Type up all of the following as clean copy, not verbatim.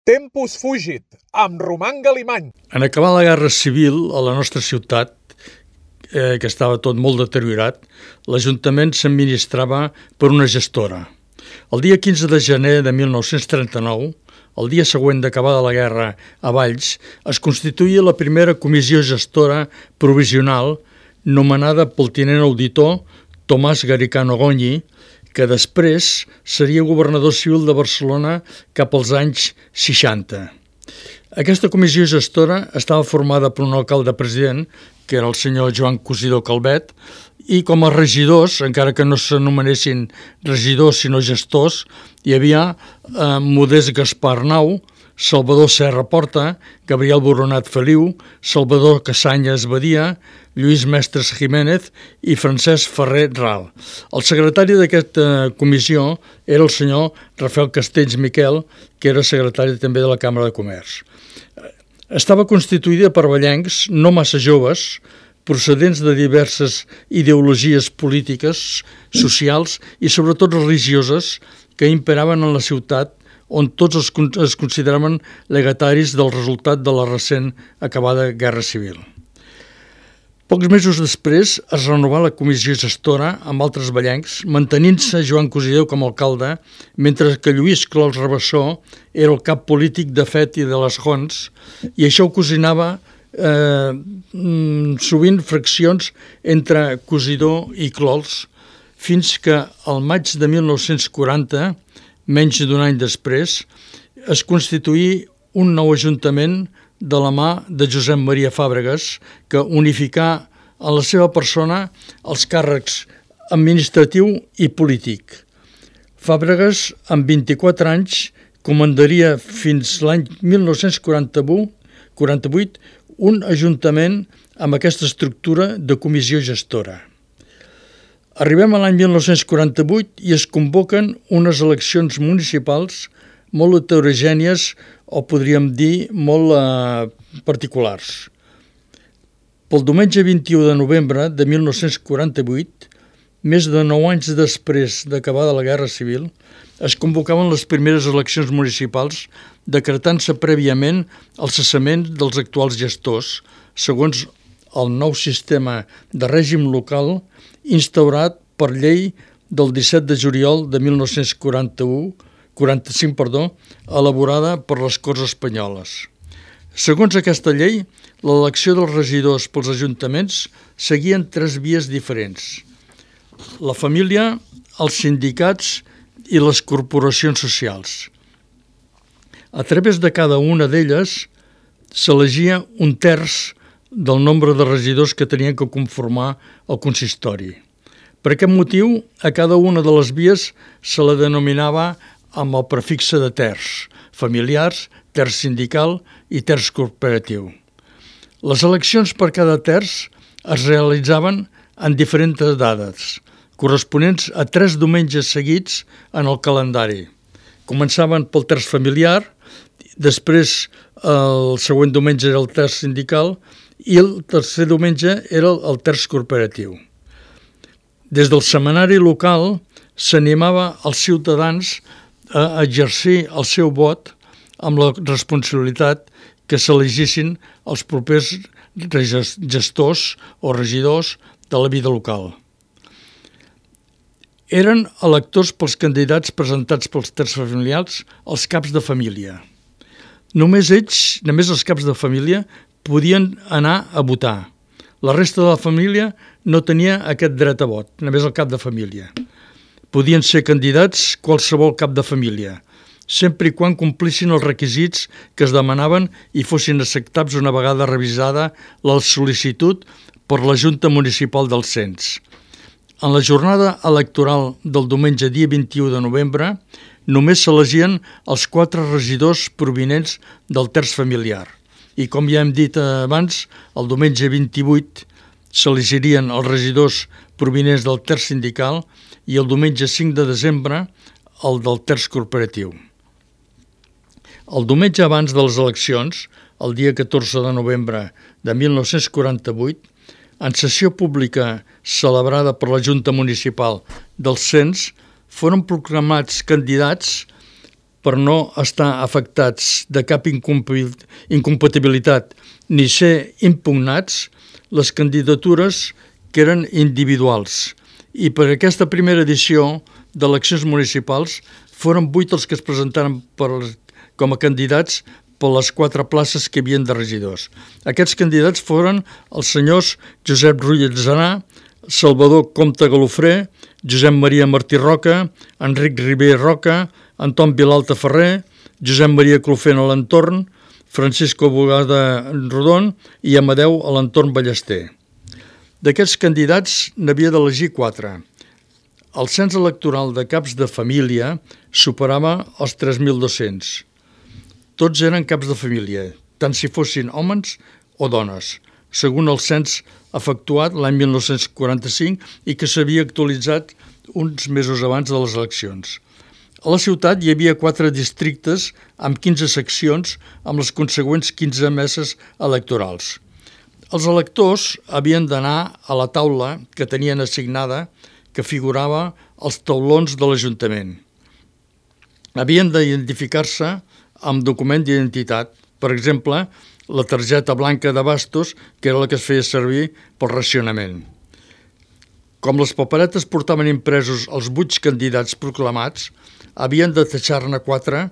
Tempus fugit, amb Roman Galimany. En acabar la Guerra Civil a la nostra ciutat, que estava tot molt deteriorat, l'Ajuntament s'administrava per una gestora. El dia 15 de gener de 1939, el dia següent d'acabada la guerra a Valls, es constituïa la primera comissió gestora provisional nomenada pel tinent auditor Tomàs Garicano Goñi, que després seria governador civil de Barcelona cap als anys 60. Aquesta comissió gestora estava formada per un alcalde president, que era el senyor Joan Cosidó Calvet, i com a regidors, encara que no s'anomenessin regidors sinó gestors, hi havia Modest Gaspar Arnau, Salvador Serra Porta, Gabriel Boronat Feliu, Salvador Cassanyes Badia, Lluís Mestres Jiménez i Francesc Ferrer Ral. El secretari d'aquesta comissió era el senyor Rafael Castells Miquel, que era secretari també de la Càmera de Comerç. Estava constituïda per vallencs no massa joves, procedents de diverses ideologies polítiques, socials i sobretot religioses que imperaven en la ciutat, on tots es consideraven legataris del resultat de la recent acabada Guerra Civil. Pocs mesos després es renovà la comissió gestora amb altres vallencs, mantenint-se Joan Cosidó com a alcalde, mentre que Lluís Clols Rabassó era el cap polític de Fet i de les Joncs, i això ocasionava sovint fraccions entre Cosidó i Clols, fins que al maig de 1940, menys d'un any després, es constituí un nou ajuntament de la mà de Josep Maria Fàbregas, que unificà en la seva persona els càrrecs administratiu i polític. Fàbregas, amb 24 anys, comandaria fins l'any 1948 un ajuntament amb aquesta estructura de comissió gestora. Arribem a l'any 1948 i es convoquen unes eleccions municipals molt heterogènies o podríem dir molt particulars. Pel diumenge 21 de novembre de 1948, més de 9 anys després d'acabada la Guerra Civil, es convocaven les primeres eleccions municipals, decretant-se prèviament el cessament dels actuals gestors, segons el nou sistema de règim local instaurat per llei del 17 de juliol de 1945, elaborada per les Corts Espanyoles. Segons aquesta llei, l'elecció dels regidors pels ajuntaments seguien 3 vies diferents: la família, els sindicats i les corporacions socials. A través de cada una d'elles s'elegia un terç del nombre de regidors que tenien que conformar el consistori. Per aquest motiu, a cada una de les vies se la denominava amb el prefixe de terç, familiars, terç sindical i terç corporatiu. Les eleccions per cada terç es realitzaven en diferents dates, corresponents a 3 diumenges seguits en el calendari. Començaven pel terç familiar, després el següent diumenge era el terç sindical i el tercer diumenge era el terç corporatiu. Des del setmanari local s'animava els ciutadans a exercir el seu vot amb la responsabilitat que s'elegissin els propers gestors o regidors de la vida local. Eren electors pels candidats presentats pels terç familiars els caps de família. Només els caps de família podien anar a votar. La resta de la família no tenia aquest dret a vot, només el cap de família. Podien ser candidats qualsevol cap de família, sempre i quan complissin els requisits que es demanaven i fossin acceptats una vegada revisada la sol·licitud per la Junta Municipal del Cens. En la jornada electoral del diumenge dia 21 de novembre només s'elegien els 4 regidors provinents del terç familiar. I com ja hem dit abans, el diumenge 28 s'elegirien els regidors provinents del terç sindical i el diumenge 5 de desembre el del terç corporatiu. El diumenge abans de les eleccions, el dia 14 de novembre de 1948, en sessió pública celebrada per la Junta Municipal del Cens, foren proclamats candidats per no estar afectats de cap incompatibilitat ni ser impugnats, les candidatures que eren individuals. I per aquesta primera edició d'eleccions municipals foren 8 els que es presentaren com a candidats per les 4 places que hi havia de regidors. Aquests candidats foren els senyors Josep Rull Atzarà, Salvador Comte Galofré, Josep Maria Martí Roca, Enric Ribé Roca, Anton Vilalta Ferrer, Josep Maria Clofent a l'entorn, Francisco Bogada Rodon i Amadeu a l'entorn Ballester. D'aquests candidats n'havia d'elegir 4. El cens electoral de caps de família superava els 3.200. Tots eren caps de família, tant si fossin homes o dones, segons el cens efectuat l'any 1945 i que s'havia actualitzat uns mesos abans de les eleccions. A la ciutat hi havia 4 districtes amb 15 seccions amb les consegüents 15 meses electorals. Els electors havien d'anar a la taula que tenien assignada que figurava als taulons de l'Ajuntament. Havien d'identificar-se amb document d'identitat, per exemple, la targeta blanca de bastos, que era la que es feia servir pel racionament. Com les paperetes portaven impresos els 8 candidats proclamats, havien de tatxar-ne 4,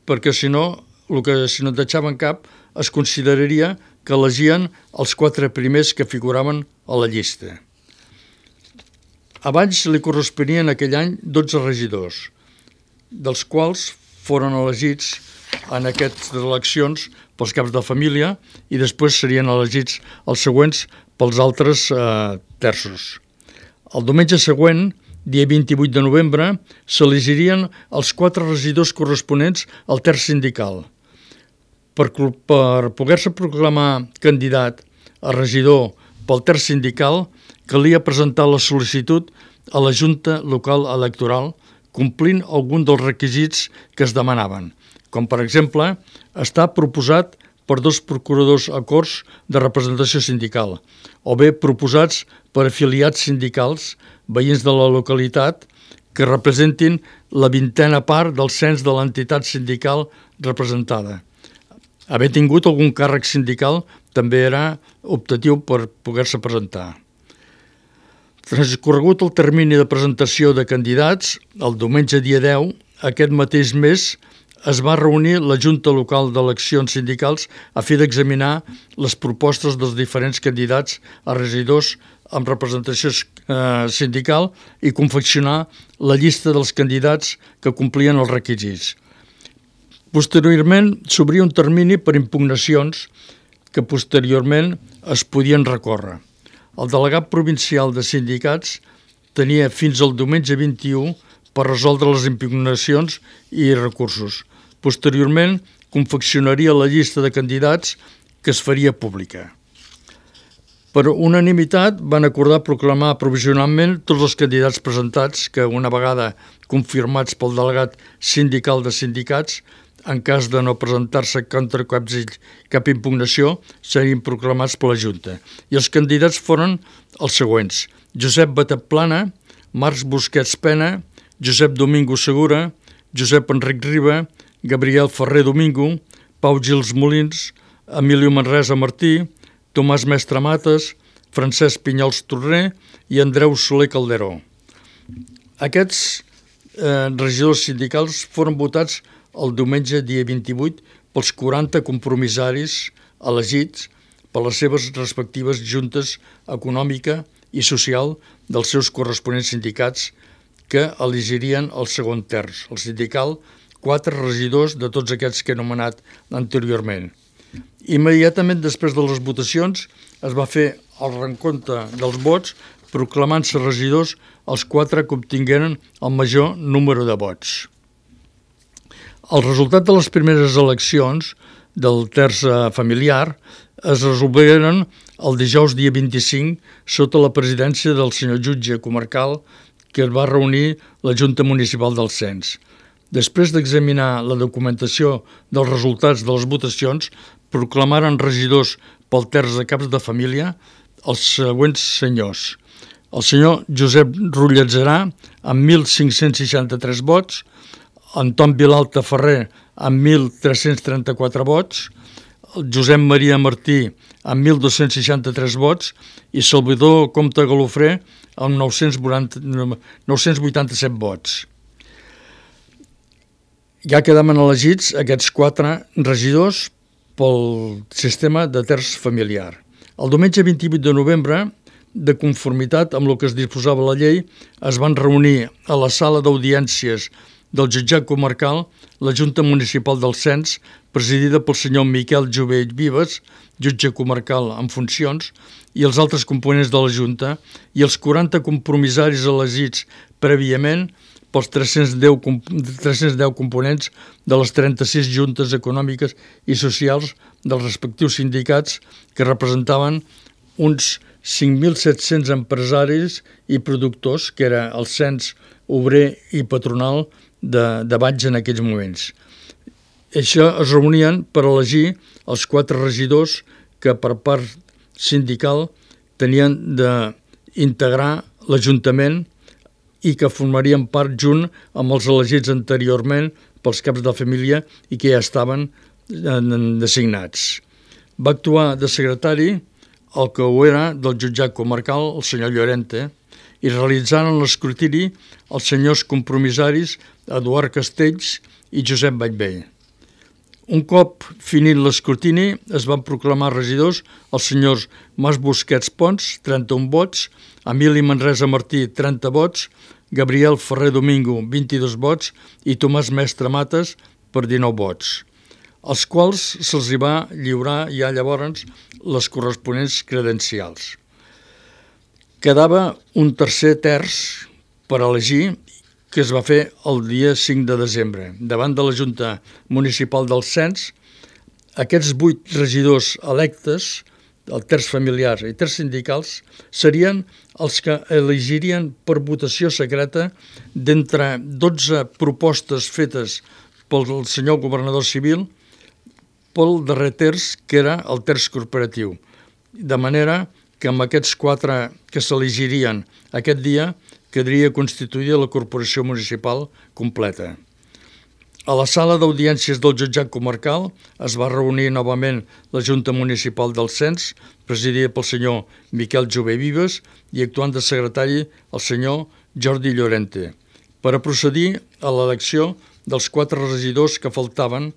perquè si no en tatxaven cap, es consideraria que elegien els 4 primers que figuraven a la llista. Abans li corresponien aquell any 12 regidors, dels quals foren elegits en aquestes eleccions pels caps de família i després serien elegits els següents pels altres terços. El diumenge següent, dia 28 de novembre, s'elegirien els 4 regidors corresponents al terç sindical. Per poder-se proclamar candidat a regidor pel terç sindical, calia presentar la sol·licitud a la Junta Local Electoral complint algun dels requisits que es demanaven, com per exemple estar proposat per 2 procuradors a Corts de representació sindical o bé proposats per afiliats sindicals veïns de la localitat que representin la 20a part del cens de l'entitat sindical representada. Haver tingut algun càrrec sindical també era optatiu per poder-se presentar. Transcorregut el termini de presentació de candidats, el diumenge dia 10, aquest mateix mes, es va reunir la Junta Local d'Eleccions Sindicals a fi d'examinar les propostes dels diferents candidats a regidors amb representació sindical i confeccionar la llista dels candidats que complien els requisits. Posteriorment, s'obria un termini per impugnacions que posteriorment es podien recórrer. El delegat provincial de sindicats tenia fins al diumenge 21 per resoldre les impugnacions i recursos. Posteriorment, confeccionaria la llista de candidats que es faria pública. Per unanimitat van acordar proclamar provisionalment tots els candidats presentats que, una vegada confirmats pel delegat sindical de sindicats, en cas de no presentar-se contra cap impugnació, serien proclamats per la Junta. I els candidats foren els següents: Josep Batet Plana, Marcs Busquets Pena, Josep Domingo Segura, Josep Enric Riba, Gabriel Ferrer Domingo, Pau Gils Molins, Emilio Manresa Martí, Tomàs Mestre Mates, Francesc Pinyols Torner i Andreu Soler Calderó. Aquests regidors sindicals foren votats el diumenge dia 28 pels 40 compromissaris elegits per les seves respectives juntes econòmica i social dels seus corresponents sindicats que elegirien el segon terç, el sindical, 4 regidors de tots aquests que he anomenat anteriorment. Immediatament després de les votacions es va fer el recompte dels vots proclamant-se regidors els 4 que obtingueren el major número de vots. El resultat de les primeres eleccions del terç familiar es resolveren el dijous dia 25 sota la presidència del senyor jutge comarcal que es va reunir la Junta Municipal del Cens. Després d'examinar la documentació dels resultats de les votacions, proclamaren regidors pel terç de caps de família els següents senyors: el senyor Josep Rull Atzarà amb 1.563 vots, Anton Vilalta Ferrer amb 1.334 vots, el Josep Maria Martí amb 1.263 vots i Salvador Comte Galofré amb 987 vots. Ja quedaven elegits aquests 4 regidors pel sistema de terç familiar. El diumenge 28 de novembre, de conformitat amb el que es disposava la llei, es van reunir a la sala d'audiències del jutjat comarcal la Junta Municipal del Cens, presidida pel senyor Miquel Jové Vives, jutge comarcal en funcions, i els altres components de la Junta, i els 40 compromissaris elegits prèviament pels 310 components de les 36 juntes econòmiques i socials dels respectius sindicats que representaven uns 5.700 empresaris i productors, que era el cens obrer i patronal de Valls en aquells moments. Això es reunien per elegir els 4 regidors que per part sindical tenien d'integrar l'Ajuntament i que formarien part junt amb els elegits anteriorment pels caps de família i que ja estaven designats. Va actuar de secretari el que ho era del jutjat comarcal, el senyor Llorente, i realitzaren l'escrutini els senyors compromissaris Eduard Castells i Josep Vallvé. Un cop finit l'escrutini, es van proclamar regidors els senyors Mas Busquets Pons, 31 vots, Emili Manresa Martí, 30 vots, Gabriel Ferrer Domingo, 22 vots, i Tomàs Mestre Mates, per 19 vots, als quals se'ls va lliurar ja llavors les corresponents credencials. Quedava un tercer terç per elegir, que es va fer el dia 5 de desembre. Davant de la Junta Municipal del Cens, aquests 8 regidors electes, el terç familiar i terç sindicals, serien els que elegirien per votació secreta d'entre 12 propostes fetes pel senyor governador civil pel darrer terç, que era el terç corporatiu. De manera que amb aquests 4 que s'elegirien aquest dia quedaria constituïda la corporació municipal completa. A la sala d'audiències del jutjat comarcal es va reunir novament la Junta Municipal del Cens, presidida pel senyor Miquel Jové Vives i actuant de secretari el senyor Jordi Llorente, per a procedir a l'elecció dels 4 regidors que faltaven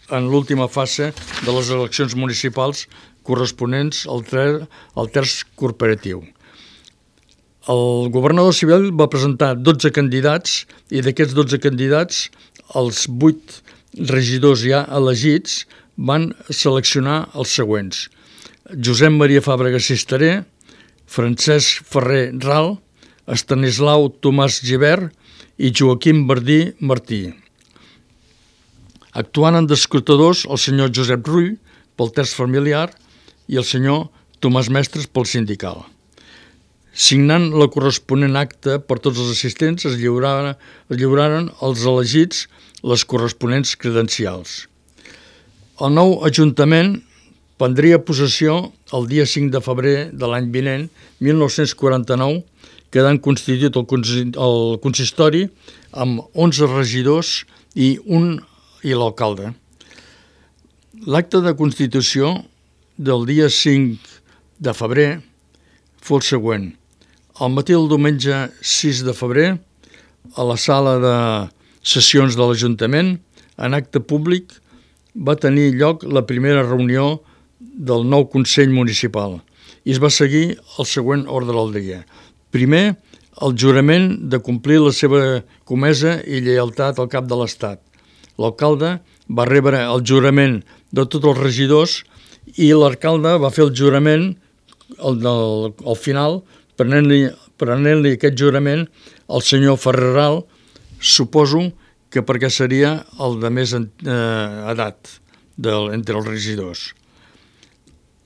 en l'última fase de les eleccions municipals corresponents al terç corporatiu. El governador civil va presentar 12 candidats i d'aquests 12 candidats els 8 regidors ja elegits van seleccionar els següents: Josep Maria Fàbrega Cisteré, Francesc Ferrer Ral, Estanislau Tomàs Gibert i Joaquim Verdí Martí. Actuant d'escrutadors el senyor Josep Rull pel terç familiar i el senyor Tomàs Mestres pel sindical. Signant la corresponent acta per tots els assistents, es lliuraren als elegits les corresponents credencials. El nou Ajuntament prendria possessió el dia 5 de febrer de l'any vinent, 1949, quedant constituït el consistori amb 11 regidors i l'alcalde. L'acte de constitució del dia 5 de febrer fou el següent. Al matí del diumenge 6 de febrer, a la sala de sessions de l'Ajuntament, en acte públic, va tenir lloc la primera reunió del nou Consell Municipal i es va seguir el següent ordre del dia. Primer, el jurament de complir la seva comesa i lleialtat al cap de l'Estat. L'alcalde va rebre el jurament de tots els regidors i l'alcalde va fer el jurament al final, prenent-li aquest jurament al senyor Ferrer Ral, suposo que perquè seria el de més edat entre els regidors.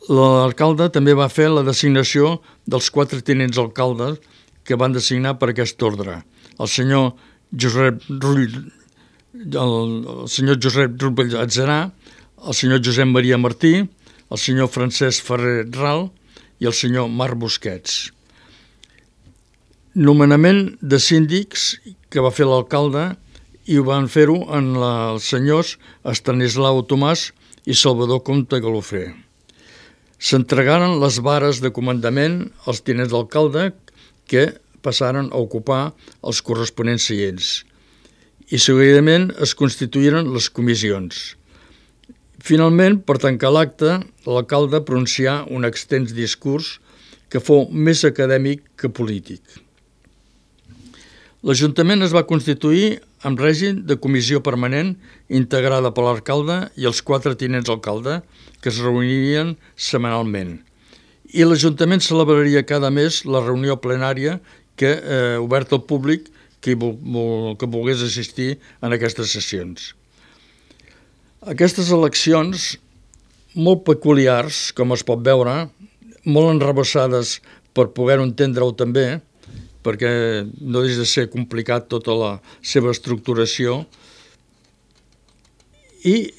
L'alcalde també va fer la designació dels 4 tinents alcaldes que van designar per aquest ordre. El senyor Josep Rull Atzerà, el senyor Josep Maria Martí, el senyor Francesc Ferrer Ral i el senyor Marc Busquets. Nomenament de síndics que va fer l'alcalde i ho van fer-ho en els senyors Estanislau Tomàs i Salvador Comte Galofré. S'entregaren les vares de comandament als tinents d'alcalde que passaren a ocupar els corresponents seients i seguidament es constituïren les comissions. Finalment, per tancar l'acte, l'alcalde pronuncià un extens discurs que fou més acadèmic que polític. L'Ajuntament es va constituir amb règim de comissió permanent integrada per l'alcalde i els 4 tinents d'alcalde que es reunirien setmanalment. I l'Ajuntament celebraria cada mes la reunió plenària oberta al públic que volgués assistir en aquestes sessions. Aquestes eleccions, molt peculiars, com es pot veure, molt enrevessades per poder-ho entendre-ho també, perquè no deixa de ser complicat tota la seva estructuració, i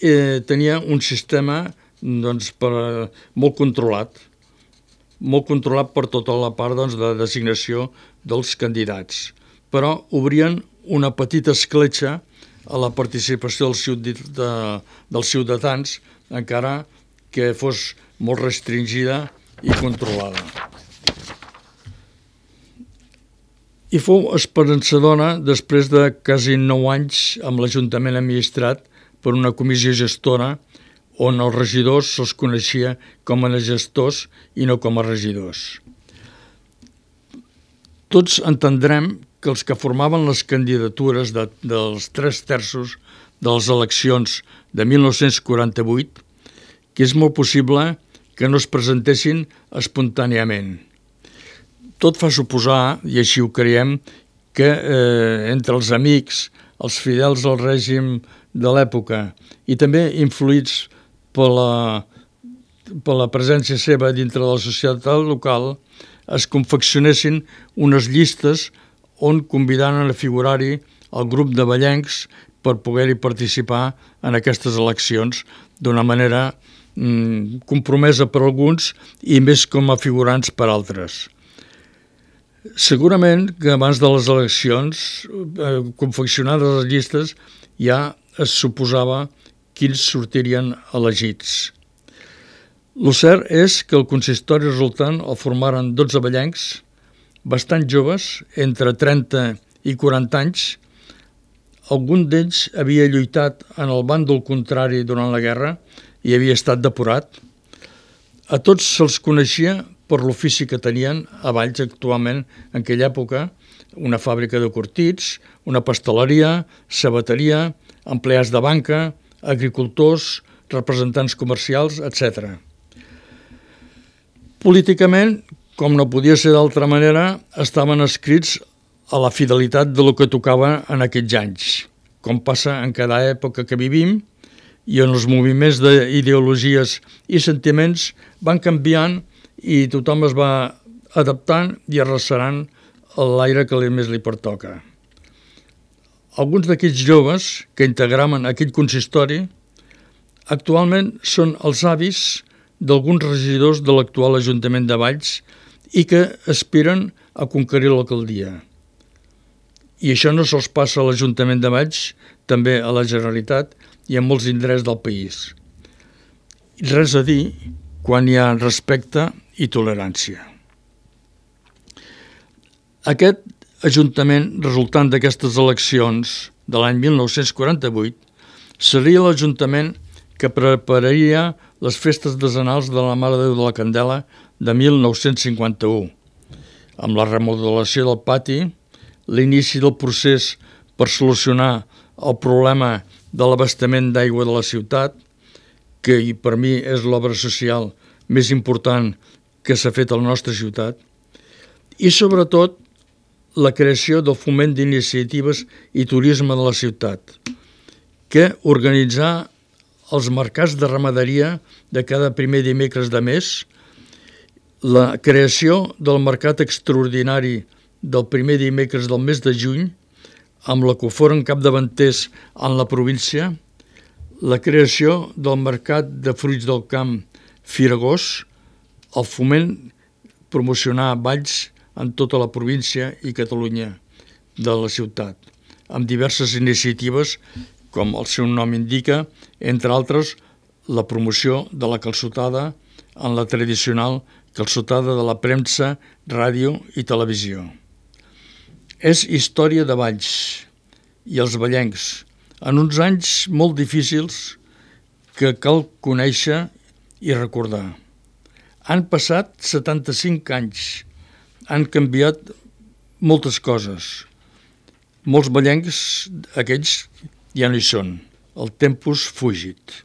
tenia un sistema molt controlat per tota la part de designació dels candidats, però obrien una petita escletxa a la participació dels ciutadans, encara que fos molt restringida i controlada. I fou esperançadora després de quasi 9 anys amb l'Ajuntament administrat per una comissió gestora on els regidors se'ls coneixia com a gestors i no com a regidors. Tots entendrem que els que formaven les candidatures dels 3/3 de les eleccions de 1948, que és molt possible que no es presentessin espontàniament. Tot fa suposar, i així ho creiem, que entre els amics, els fidels al règim de l'època i també influïts per la presència seva dintre de la societat local, es confeccionessin unes llistes on convidaren a figurar-hi el grup de vallencs per poder-hi participar en aquestes eleccions d'una manera compromesa per alguns i més com a figurants per altres. Segurament que abans de les eleccions, confeccionades les llistes, ja es suposava quins sortirien elegits. El cert és que el consistori resultant el formaren 12 vallencs, bastant joves, entre 30 i 40 anys. Algun d'ells havia lluitat en el bàndol contrari durant la guerra i havia estat depurat. A tots se'ls coneixia per l'ofici que tenien a Valls actualment en aquella època, una fàbrica de curtits, una pasteleria, sabateria, empleats de banca, agricultors, representants comercials, etc. Políticament, com no podia ser d'altra manera, estaven escrits a la fidelitat de lo que tocava en aquells anys, com passa en cada època que vivim, i on els moviments d'ideologies i sentiments van canviant i tothom es va adaptant i arrecerant l'aire que més li pertoca. Alguns d'aquests joves que integraven aquell consistori actualment són els avis d'alguns regidors de l'actual Ajuntament de Valls i que aspiren a conquerir l'alcaldia. I això no sols passa a l'Ajuntament de Valls, també a la Generalitat i a molts indrets del país. Res a dir quan hi ha respecte i tolerància. Aquest Ajuntament resultant d'aquestes eleccions de l'any 1948 seria l'Ajuntament que prepararia les festes decenals de la Mare de Déu de la Candela de 1951, amb la remodelació del pati, l'inici del procés per solucionar el problema de l'abastament d'aigua de la ciutat, que per mi és l'obra social més important que s'ha fet a la nostra ciutat, i sobretot la creació del foment d'iniciatives i turisme de la ciutat, que organitzar els mercats de ramaderia de cada primer dimecres de mes, la creació del mercat extraordinari del primer dimecres del mes de juny, amb la que foren capdavanters en la província, la creació del mercat de fruits del camp Firagós, el foment promocionar Valls en tota la província i Catalunya de la ciutat, amb diverses iniciatives, com el seu nom indica, entre altres, la promoció de la calçotada en la tradicional calçotada de la premsa, ràdio i televisió. És història de Valls i els vallencs, en uns anys molt difícils que cal conèixer i recordar. Han passat 75 anys, han canviat moltes coses. Molts vallencs, aquests, ja no hi són. El tempus fugit.